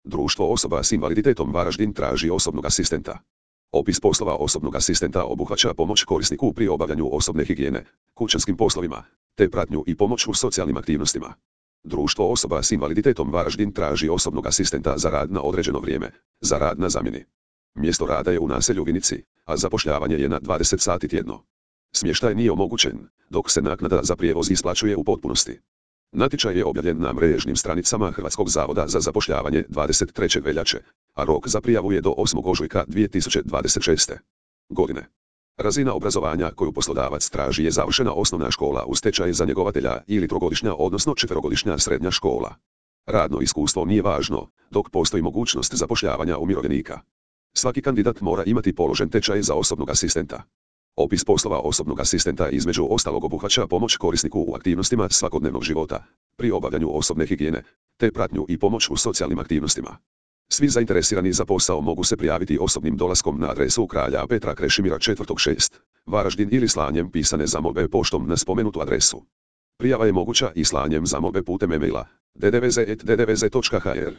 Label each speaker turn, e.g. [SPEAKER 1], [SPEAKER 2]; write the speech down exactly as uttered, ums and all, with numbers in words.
[SPEAKER 1] Društvo osoba s invaliditetom Varaždin traži osobnog asistenta. Opis poslova osobnog asistenta obuhvaća pomoć korisniku pri obavljanju osobne higijene, kućanskim poslovima, te pratnju i pomoć u socijalnim aktivnostima. Društvo osoba s invaliditetom Varaždin traži osobnog asistenta za rad na određeno vrijeme, za rad na zamjeni. Mjesto rada je u naselju Vinici, a zapošljavanje je na dvadeset sati tjedno. Smještaj nije omogućen, dok se naknada za prijevoz isplaćuje u potpunosti. Natječaj je objavljen na mrežnim stranicama Hrvatskog zavoda za zapošljavanje dvadeset trećeg veljače, a rok za prijavu je do osmog ožujka dvije tisuće dvadeset šeste. godine. Razina obrazovanja koju poslodavac traži je završena osnovna škola uz tečaj za njegovatelja ili trogodišnja odnosno četverogodišnja srednja škola. Radno iskustvo nije važno, dok postoji mogućnost zapošljavanja umirovljenika. Svaki kandidat mora imati položen tečaj za osobnog asistenta. Opis poslova osobnog asistenta između ostalog obuhvaća pomoć korisniku u aktivnostima svakodnevnog života, pri obavljanju osobne higijene, te pratnju i pomoć u socijalnim aktivnostima. Svi zainteresirani za posao mogu se prijaviti osobnim dolaskom na adresu Kralja Petra Krešimira četvrtog šest, Varaždin ili slanjem pisane zamolbe poštom na spomenutu adresu. Prijava je moguća i slanjem zamolbe putem e-maila d d v z at d d v z točka h r.